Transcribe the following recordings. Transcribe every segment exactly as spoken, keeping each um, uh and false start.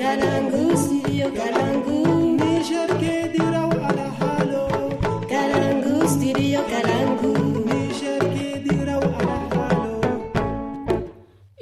Kalangu studio kalangu. Niger ke diraw alhalo. Kalangu studio kalangu. Niger ke diraw alhalo.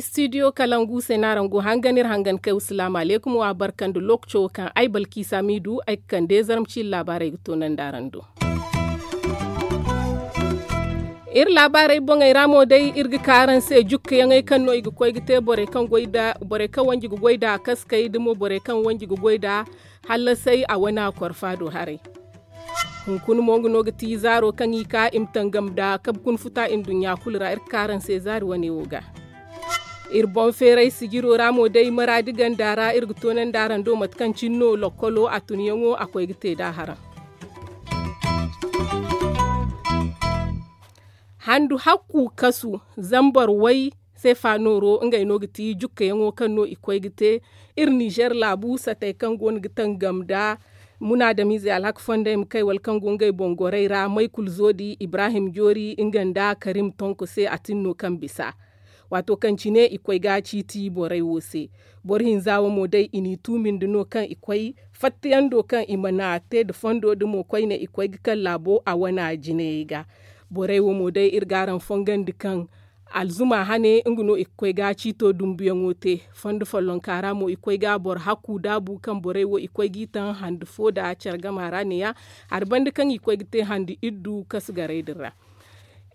Studio kalangu se no araŋ go hangan iri hangan kay wasalaamu aleykum wa barka nda lookaco kaŋ ay balkiisa m'i du ay ga kande zarma ciiri laabaarey ga toonandi araŋ do. Iri laabaarey boŋey ra mo day iri ga ka araŋ se jukkayaŋey kaŋ no i ga koy ga te borey kaŋ wanji ga goy nda kaskey nda mo borey kaŋ wanji ga goy nda hallasey a wane a korfa do haray. Hunkuna mo nga no ga ti zaaro kaŋ i ka i ma tangam nda kabe kuna futa nduɲɲa kulu ra iri ga ka araŋ se zaari wane wo ga. Iri boŋ feeray sijiro ra mo day maraadi ganda ra iri ga toonandi araŋ do mate kaŋ cine no lokkolo a tunyaŋo a koy ga te nd'a haraŋ. Handu hakku kasu zambar way sefa nooro ngey no ga ti jukkayaŋo kaŋ no i koy ga te iri nizer laabu satey kaŋ go no ga tangam nda munaadamiizey alhaka fondey ma kay wala kaŋ go ngey boŋ gorey ra maykul zoodi ibrahim joori nga nda karim tonko se a tin no kaŋ bisa. Waato kaŋ cine i koy ga ciiti borey wo se. Boro hinza wo mo day i n'i tuumindi no kaŋ i koy fattiyando kaŋ i mana te nda fondo nda mo koyne i koy ga kaŋ laabo a wana jinayey ga. Borey wo mo day iri ga araŋ fongandi kaŋ alzuma hane nga no i ga koy ga ciito dumbuyaŋo te. Fondo follonka ra mo i koy ga boro hakku daabu kaŋ borey wo i koy g'i taŋ handi fo nda care gama ra neeya hari banda kaŋ i koy ga te handi iddu kasu garey din ra.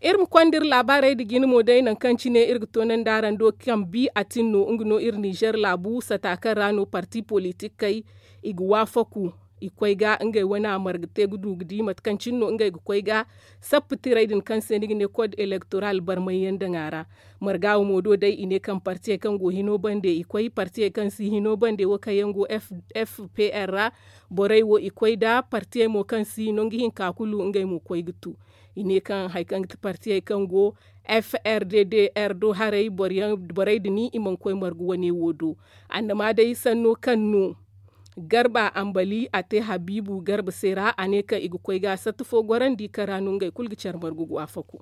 Iri ma konda iri laabaarey nda jine mo day nangu kaŋ cine iri ga toonandi araŋ do kaŋ bi a tin no nga no iri nizer laabu sata kaŋ ra no parti politikey i ga waafaku i koy ga ngey wane a marga te ga du ga di mate kaŋ cine no ngey ga koy ga sappa tirey din kaŋ se ni ga ne kod elektoral barmayyaŋ daŋ a ra. Marga wo mo do day i ne kaŋ partiyey kaŋ go hino bande i koy partiyey kaŋ si hino bande wo kaŋ yaŋ go fpr ra. Borey wo i koy nda partiyey mo kaŋ si nangu hinka kulu ngey mo koy ga tu. I ne kaŋ hari kaŋ ga ti partiyey kaŋ go frddr do haray borey din i mana koy margu wane wo do. Annama day sanno kaŋ no garba ambali a te habiibu garba se ra a ne kaŋ i ga koy ga satta fo gorandi kaŋ ra no ngey kulu ga care margu ga waafaku.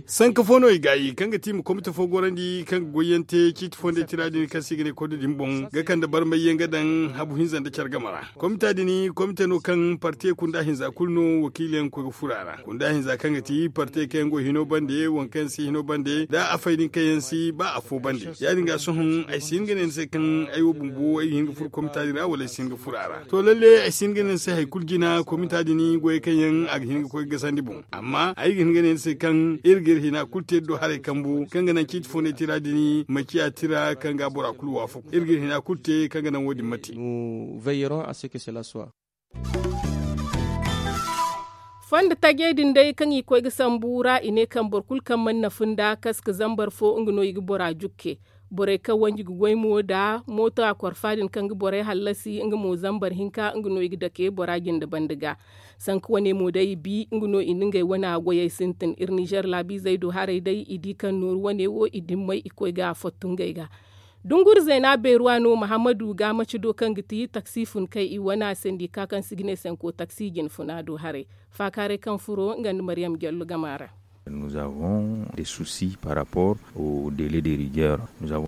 Sanka fo no i gaayi kaŋ ga ti i ma komite fo gorandi kaŋ ga goyyaŋ te ciiti fondey tira din kaŋ se i ga ne kode din boŋ ga kande barmayyaŋ ga daŋ habu hinza nda care game ra. Komita din komite no kaŋ partiyey kunda hinza kulu no wakiiliyaŋ ga koy ga furo a ra. Kunda hinza kaŋ ga ti partiyey kaŋ yaŋ go hino bande waŋ kaŋ yaŋ si hino bande nda afey din kaŋ yaŋ si ba afo bande. Ya- din ga sohõ ay si hin ga ne ni se kaŋ ay wo bumbo ay ga hin ga furo komita din ra wala ay si hin ga furo a ra. To lalle ay si hin ga ne ni se hari kulu jina komita din goyey kaŋ yaŋ a ga hin ga koy ga gasandi boŋ. Amma ay ga hin ga ne ni se kaŋ iri ga iri hina kulu te iri do haray kambu kaŋ ga naŋ ciiti fondey tira din ma ciya tira kaŋ ga bora kulu waafaku iri ga iri hina kulu te kaŋ ga naŋ wo- din ma te. Fondo tajey din day kaŋ i koy ga sambu ra i ne kaŋ boro kulu kaŋ mana nafu nda kaska zambar fo nga no i ga bora jukke. Borey kaŋ wanji ga goy mo nda mooto a korfa din kaŋ ga borey hallasi nga mo zambar hinka nga no i ga dake bora jinde banda ga. Sanka wane mo day i bi nga no i na ngey wana goyey sintin iri nizer laabiizey do haray day i di kaŋ nooru wane wo i dimmey i koy ga fottu ngey ga. Dunguri zeena beeruwa no mahammadu ga maci do kaŋ ga ti taksi fun kay i wana sendika kaŋ si ga ne sanko taksi jine funa do haray. Faakaaray kaŋ furo nga nda maryam jallo gama ra.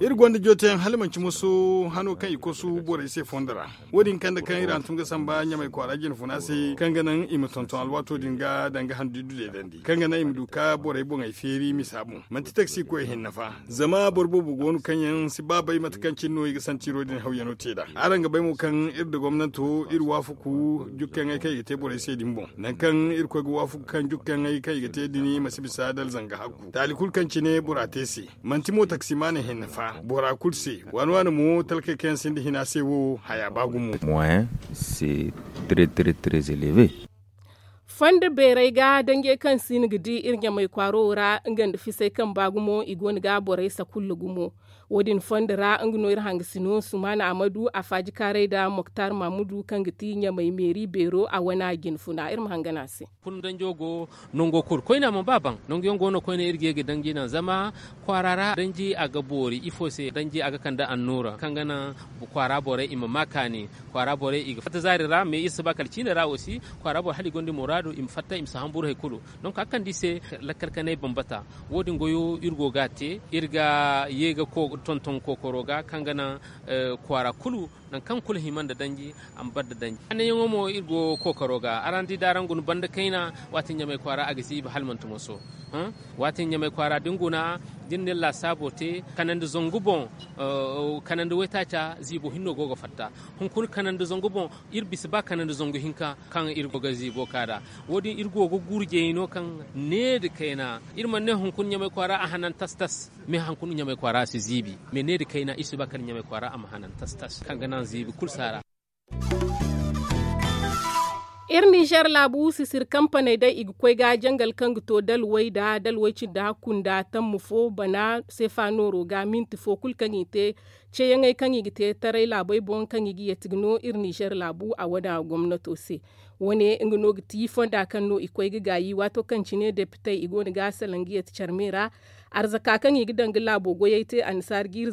Iri gonda jooteyaŋ hala manci moso hano kaŋ i kosu borey se fondo ra. Wo- din kande kaŋ iri hantum ga samba ɲamay kwaara jinfuna se kaŋ ga naŋ i ma tonton alwaato din ga danga handu iddu deedandi kaŋ ga naŋ i ma du ka borey boŋey feeri misa boŋ. Manti taksi koy hinne fa zama boro boobo go no kaŋ yaŋ si ba bay mate kaŋ cine no i ga santiro din hawyano te nd'a. Araŋ ga bay mo kaŋ iri nda gomnanto iri waafaku jukkayaŋey kaŋ i ga te borey se din boŋ. Nangu kaŋ iri koy ga waafaku kaŋ jukkayaŋey kaŋ i ga te din ma si bisa dala zanga hakku taali kulu kaŋ cine bora te se. Manti mo taksimaaney hinne fa bora kulu se. Waani waani mo talkey kaŋ yaŋ sinda hina se wo haya ba gumo. Moyen c'est très très très élevé. Fondo beeray ga danjey kaŋ si no ga di iri ɲamay kwaaro wo ra nga nda fisay kaŋ ba gumo i go no ga borey sakulla gumo. Wo- din fondo ra nga no iri hangasino sumaana amadu a faaji kaaray nda moktar mamudu kaŋ ga ti ɲamay meeri beero a wana jinfuna iri ma hangan a se. Kulu danjo go nango kulu koyne a mana ba baŋ nangu yaŋ go no koyne iri ga ye ga danji naŋ zama kwaara ra danji a ga boori ifo se danji a ga kande annuura kaŋ ga naŋ kwaara borey i ma ma kaani. Kwaara borey i ga fatta zaari ra mais iri si ba kala ciine ra aussi kwaara boro hala i gonda muraadu. I ma fatta i ma si hamburu hari kulu. Donk a ga kande i se lakkal kanay bambata. Wo- din goyo iri go ga a te, iri ga ye ga tonton kookaro ga kaŋ ga naŋ kwaara kulu nangu kaŋ kulu hima nda danji a ma bare nda danji. Hananyaŋo mo iri go kookaro ga araŋ di da araŋ guna banda kayna, waati ɲamay kwaara a ga ziibi hala manti moso. Waati ɲamay kwaara da ni guna, da ni na ni laasaabo te kanandi zangu boŋ, kanandi waytaaca ziibo hinno go ga fatta. Hunkuna kanandi zangu boŋ, iri bisa ba kanandi zangu hinka kaŋ iri go ga ziibo ka nd'a. Wo- din iri go ga gurjey no kaŋ needi kayna, iri mana ne hunkuna ɲamay kwaara a hanan tas tas. Me hunkuna ɲamay kwaara a si ziibi, me needi kayna iri si ba kala ɲamay kwaara a ma hanan tas tas kaŋ ga naŋ ziibi kulu si a ra. Iri ninzeer laabu sisiri kampaney day i ga koy ga jangal kaŋ ga to dalwey nda dalwey cindi hakku nda tamma fo bana seefa nooro ga minti fo kulu kaŋ i te, ceeyaŋey kaŋ i ga te taray laabey boŋ kaŋ i ga yeeti ga no iri ninzeer laabu a wane gomnato se. Wo- ne nga no ga ti fonda kaŋ no i koy ga gaayi waato kaŋ cine depitey i go no ga a salaŋ ga yeeti care me ra. Arzaka kaŋ i ga daŋ ga laabo goyey te annasaara jiiri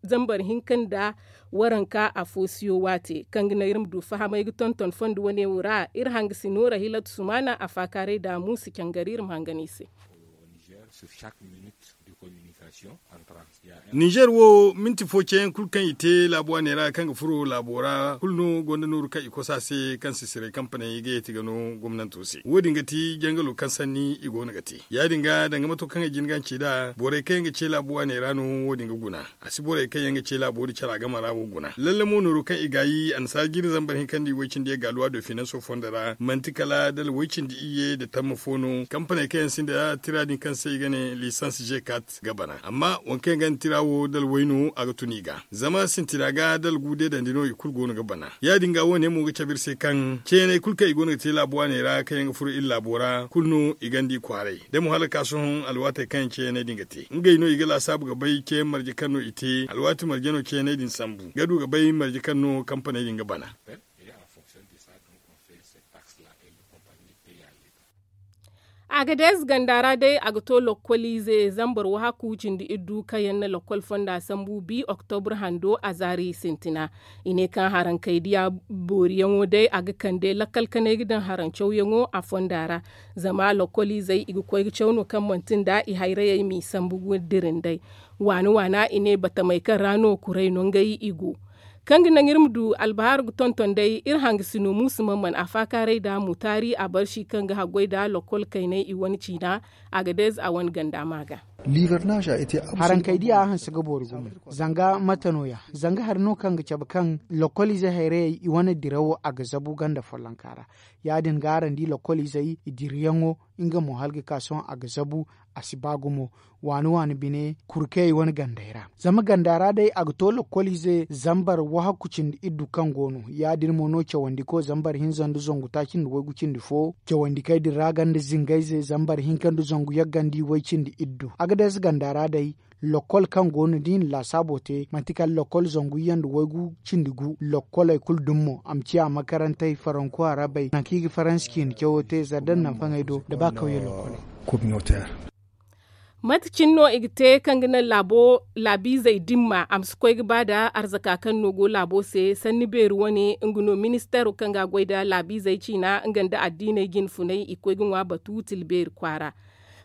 zambar hinka nda waranka afo siyo waate kaŋ ga naŋ iri ma du fahamay ga tonton fondo wane wo ra. Iri hangasino rahilatu sumaana a faakaaray da muusa cangari iri ma hangan i se. Ninzeer wo minti fo ceeyaŋ kulu kaŋ i te laabu waaney ra kaŋ ga furo laabo ra kulu no gonda nooru kaŋ i kosa se kaŋ sisiray kampaney ga yeeti ga no gomnanto se wo- din ga ti jangalo kaŋ sanni i go no ga te. Ya- din ga danga mato kaŋ ay jin ga a ci nd'a borey kaŋ yaŋ ga ce laabu waaney ra no wo- din ga guna. A si borey kaŋ yaŋ ga ce laabo din cara game ra wo guna lalle mo nooru kaŋ i gaayi annasaara jiiri zambar hinka nda i way-cindi ye gaaluwa do finanso fondo ra manti kala dala way-cindi iyye nda tamma fo no kampaney kaŋ yaŋ sinda tira din kaŋ se i ga ne lisans g kat ga bana amma waŋ kaŋ yaŋ ga ni tira wo dala way no a ga tun i ga. Zama sintina ga dala gu deedandi no i kulu go no ga bana. Ya- din ga wo- ne mo ga cabe iri se kaŋ ceeney kulu kaŋ i go no ga te laabu waaney ra kaŋ yaŋ ga furo iri laabo ra kulu no i ganda i kwaaray da mo hala ka sohõ alwaatey kaŋ yaŋ ceeney din ga te ngey no i ga laasaabu ga bay ceeyaŋ marje kaŋ no i te alwaati marje no ceeney din sambu ga du ga bay marje kaŋ no kampaney din ga bana. A ga dees ganda ra day a ga to lokkoliize zambar wahakku cindi iddu kaŋ yaŋ na lokkol fonda sambu bi oktobur hando a zaari sintina. I ne kaŋ harankaydiya booriyaŋo day a ga kande lakkal kanay ga daŋ harancawyaŋo a fonda ra. Zama lokkoliizey i ga koy ga caw no kaŋ manti nda i hayrayey m'i sambu ga dira nd'ey. Waana waana i ne batamey kaŋ ra no kuray no ngey i go. Kaŋ ga naŋ iri ma du albahar ga tonton day iri hangasino muusa mamman a faakaaray nda mutaari a barsi kaŋ ga haggoy nda lokkol kaynay i wane ciina. A ga deez a wane ganda ma ga. Harankey diya a hanse ga boori gumo. Zanga mate no- ya? Zanga hari no kaŋ ga cabe kaŋ lokkoliizey hayrayey i wane dirawo a ga zabu ganda follonka ra. Ya- din ga araŋ di lokkoliizey i dirayaŋo nga mo hala ga ka sohõ a ga zabu. A si ba gumo waani waani bine kurkey wane gandey ra. Zama ganda ra day a ga to lokkoliize zambar wahakku cindi iddu kaŋ go no ya- din mo no cawandiko zambar hinza nda zangu taaci nda waygu cindi fo cawandikey din ra ganda zingayze zambar hinka nda zangu yagga nda iway cindi iddu a ga deeza ganda ra day. Lokkol kaŋ go no da i na laasaabo te manti kala lokkol zangu iyye nda waygu cindi gu lokkoley kulu dummo a ma ciya makarantey faranku arabey nangu kaŋ i ga faransi ciine cawo te zardan nanfaŋey do nda ba kawye lokkoley. Mate cine no i ga te kaŋ ga naŋ laabo laabiizey dimma a ma si koy ga ba nda arzaka kaŋ no go laabo se sanni beeri wane nga no ministeero kaŋ ga a goy nda laabiizey ciina nga nda addiiney jinfunay i koy ga ŋwa batu tila beeri kwaara.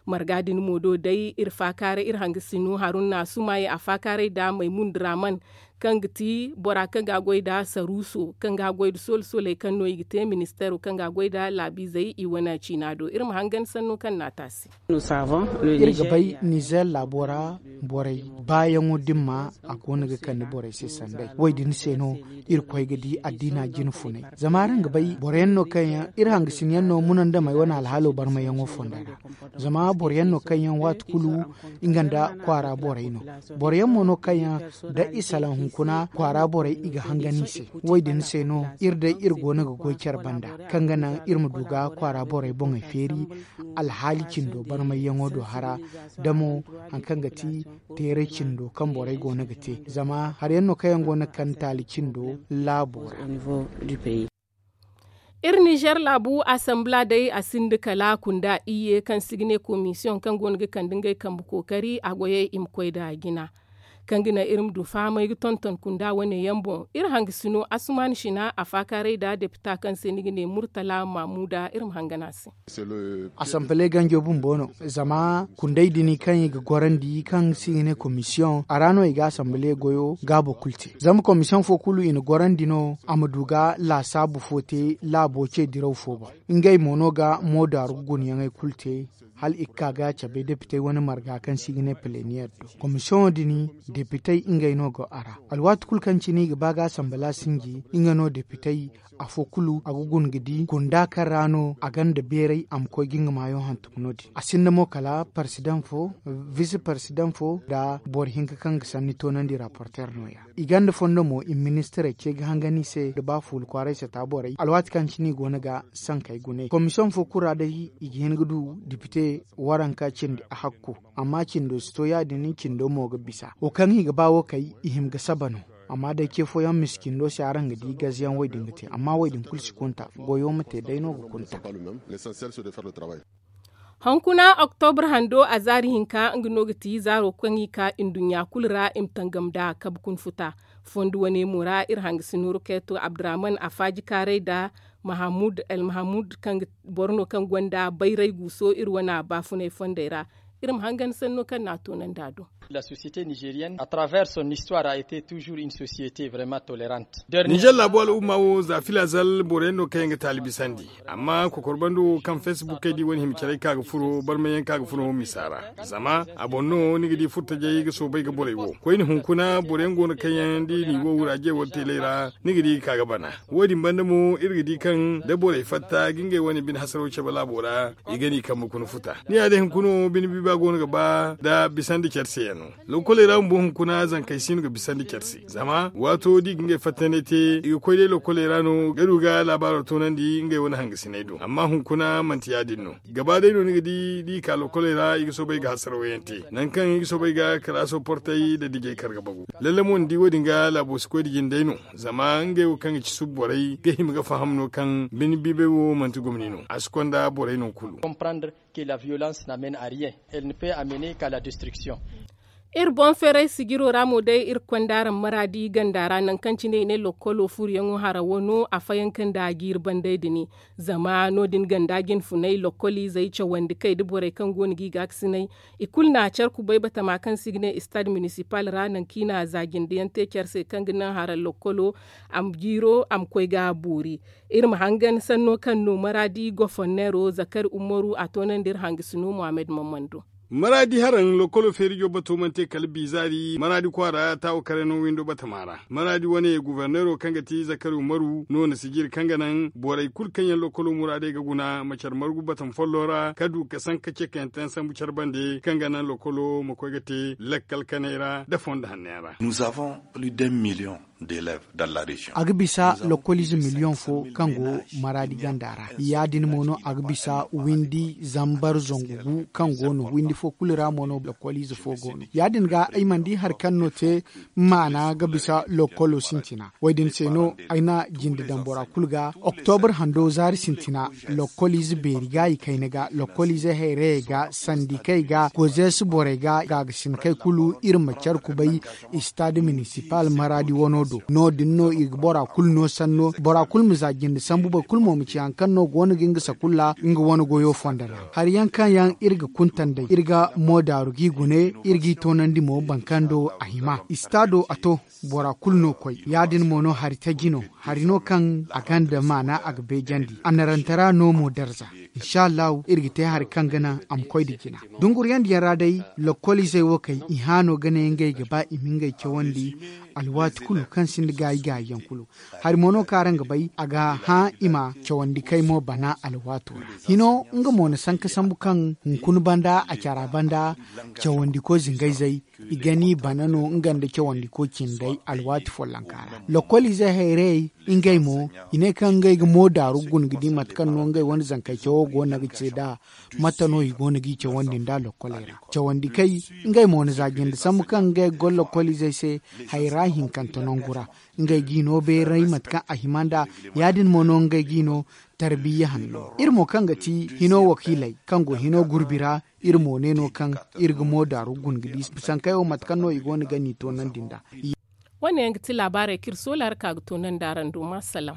Marga din mo do day iri faakaaray iri hangasino haruna sumaye a faakaaray nda maymun draman kaŋ ga ti bora kaŋ ga a goy nda saruuso kaŋ ga a goy nda solo soley kaŋ no i ga te ministeero kaŋ ga a goy nda laabiizey i wane ciina do iri ma hangan sanno kaŋ no a te a se. Iri ga bay nizer laabo ra borey baayaŋo dimma a go no ga kande borey se sanday wo- din se no iri koy ga di addiina jinfunay. Zama araŋ ga bay boro yaŋ no kaŋ yaŋ iri hangasin yaŋ no munandamey wane alhaalo barmayaŋo fonda ra. Zama boro yaŋ no kaŋ yaŋ waati kulu nga nda kwaara borey no. Boro yaŋ mo no kaŋ yaŋ da i salaŋ hunkuna kwaara borey i ga hangan i se. Wo- din se no iri day iri go no ga goy care banda kaŋ ga naŋ iri ma du ga kwaara borey boŋey feeri alhaali cindo barmayyaŋo do hara da mo hari kaŋ ga ti teeray cindo kaŋ borey go no ga te. Zama hari yaŋ no kaŋ yaŋ go no ga kande taali cindo laabo ra. Iri nizer laabu asambla day a sinda kala kunda iyye kaŋ si ga ne komisiyoŋ kaŋ go no ga kande ngey kambe kookari a goyey i ma koy nda jina. Kaŋ ga naŋ iri ma du fahamay ga tonton kunda wane yaŋ boŋ, iri hangasino asuman sina a faakaaray nda depita kaŋ se ni ga ne murtala mamuda iri ma hangan a se. Asanbale ganjo bumbo no, zama kunday din kaŋ i ga gorandi kaŋ se i ga ne komisiyoŋ a ra no i ga asanbale goyo gaabo kulu te. Zama komisiyoŋ fo kulu i na gorandi no a ma du ga laasaabu fo te laabo ce diraw fo boŋ. Ngey mo no ga moodaaru gunyaŋey kulu te. Hala i ga ka ga cabe depitey wane marga kaŋ se i ga ne pileniyer do. Komisiyoŋo din depitey ngey no go a ra. Alwaati kulu kaŋ cine i ga ba ga asanbala sinji nga no depitey afo kulu a ga guna ga di kunda kaŋ ra no a gonda beeray a ma koy ga nga maayo hantum no- din a sinda mo kala parsidaŋ fo, visi parsidaŋ fo nda boro hinka kaŋ ga sanni toonandi raporter no- ya. I gonda fondo mo i ma ministirey ce ga hangan i se da ba fuula kwaaray sata borey alwaati kaŋ cine i go no ga sankey gune komisiyoŋ fo kulu ra day i ga hin ga du depite waranka cindi a hakku. Amma cindo si to ya- din cindo mo ga bisa wo kaŋ i ga ba wo kay i hima ga saba no. Amma day ce fooyaŋ misa cindo se araŋ ga di gaziyaŋ wo- din ga te amma wo- din kulu si kunta goyo ma te day no ga kunta. Hunkuna oktobra hando a zaari hinka nga no ga ti zaaro kaŋ i ka nduɲɲa kulu ra i ma tangam nd'a kabe kuna futa. Fondo wane mo ra iri hangasino rukeeto abdurahman a faaji kaaray nda mahamud el mahamud kaŋ ga boro no kaŋ gonda bayray guuso iri wane baafunay fondey ra. Iri ma hangan sanno kaŋ no a toonandi a do. La société nigérienne à travers son histoire a été toujours une société vraiment tolérante. Ninzeer laabu al'umma wo za filazal boro yaŋ no kaŋ yaŋ ga taali bisandi. Amma kokor bando wo kaŋ facebook kay di wane hima caray ka ga furo barmay yaŋ ka ga furo misa ra. Zama a boŋ no ni ga di furtajey ga soobay ga borey wo koyne hunkuna boro yaŋ go no kaŋ yaŋ da i n'i wo wuraaje wala teelay ra. Ni ga di ga ka ga bana. Wo- din banda mo iri ga di kaŋ da borey fatta ga ngey wane bine hasaro cabe laabo ra i ga n'i kambe kuna futa. Ni ya day hunkuna wo bine biiba go no ga ba nda bisandi care se yaŋ no. Lokoley ra bumbo hunkuna zankey si no ga bisandi care se zama waato da i ga ngey fattandi te i ga koy day lokoley ra no ga du ga laabaaro toonandi ngey wane hangasiney do amma hunkuna manti ya- din no. Gaba day no ni ga di da i ka lokoley ra i ga soobay ga hasaraw yaŋ te nangu kaŋ i ga soobay ga kalaaso portey nda dijey kar ga bagu. Lalle mo ni di wo- din ga laabo si koy da jine day no. Zama ngey wo kaŋ ga ci subu borey ga hima ga faham no kaŋ bine biibay wo manti gomni no a si konda borey no kulu. Comprendre que la violence n'amène à rien, elle ne peut amener qu'à la destruction. Iri boŋ feeray sijiro ra mo day iri konda araŋ maraadi ganda ra nangu kaŋ cine i ne lokkolo furuyaŋo hara wano a fayanka nda jiiri banday din. Zama no- din ganda jinfunay lokkoliizey cawandi kay da borey kaŋ go no ga i gaakasinay. I kulu na care kubay batama kaŋ se i ga ne istad minisipal ra nangu kaŋ i na za jindiyaŋ te care se kaŋ ga naŋ hara lokkolo a ma jiiro a ma koy ga boori. Iri ma hangan sanno kaŋ no maraadi goforneero zakari umaru a toonandi iri hangasino muhammad mammando. Maraadi haraŋ lokkolo feerijo bato mana te kala biizaari maraadi kwaara taawo kare no windo batama ra maraadi wane guforneero kaŋ ga ti zakari umaru no na sijiri kaŋ ga naŋ borey kulu kaŋ yaŋ lokkolo muraadey ga guna ma care margu batama follo ra ka du ka sanka ceekayaŋ te yaŋ sambu care bande kaŋ ga naŋ lokkolo ma koy ga te lakkal kaney ra nda fondo hanno yaŋ ra. Nous avons plus d'un million d'élèves dans la région. A ga bisa lokkoliize miliyoŋ fo kaŋ go maraadi ganda ra ya- din mo no a ga bisa windi zambar zangu gu kaŋ go no windi fo kulu ra mo no lokkoliize fo go no ya- din ga ay mana di hari kaŋ no te maana ga bisa lokkolo sintina wo- din se no ay na jinde daŋ bora kulu ga oktobra hando zaari sintina. Lokkoliize beeri ga i kayna ga lokkoliize hayrayey ga sandikey ga gozeesi borey ga gaagasinkey kulu iri ma care kubay. Istad minisipal maraadi wano do no- din no i ga bora kulu no sanno bora kulu ma za jinde sambu boro kulu mo ma ci hari kaŋ no go no ga nga sakulla nga wane goyo fondo ra. Hari yaŋ kaŋ yaŋ iri ga kuntan day iri ga moodaaru g'i gune iri g'i toonandi mo boro kaŋ do a hima istado a to. Bora kulu no koy ya- din mo no hari taji no hari no kaŋ a gonda maana a ga beejandi a narantara no mo darza. Insa allahu iri ga te hari kaŋ ga naŋ a ma koy nda jina. Dunguriyandiyaŋ ra day lokkoliizey wo kay i hã no ga ne ngey ga ba i ma ngey cawandi. Alwaati kulu kaŋ sinda gaayi gaayiyaŋ kulu hari mo no kaŋ araŋ ga bay a ga hã i ma cawandi kay mo bana alwaato ra. Hino nga mo na sanka sambu kaŋ hunkuna banda a cara banda cawandiko zingayzey i gani bana no nga nda cawandiko cindey alwaati follonka ra. Lokkoliizey hayrayey ngey mo i ne kaŋ ngey ga moodaaru guna ga di mate kaŋ no ngey wane zankey cawo. Go no ga ce da mate no i go no g'i cawandi nda lokkoley ra cawandi kay. Ngey mo na za jinde sambu kaŋ ngey ga goro lokkolizey se hayra hinkante nangu ra. Ngey g'i no beeray mate kaŋ a hima nd'a. Ya- din mo no ngey g'i no tarbiyya hanno iri mo kaŋ ga ti hino wakiiley kaŋ go hino gurbi ra. Iri mo ne no kaŋ iri ga mo daaru guna ga di sankey wo mate kaŋ no i go no ga n'i toonandi nd'a. Wo- ne yaŋ ga ti laabaarey kaŋ iri soola ra ka ga toonandi araŋ do ma salaŋ.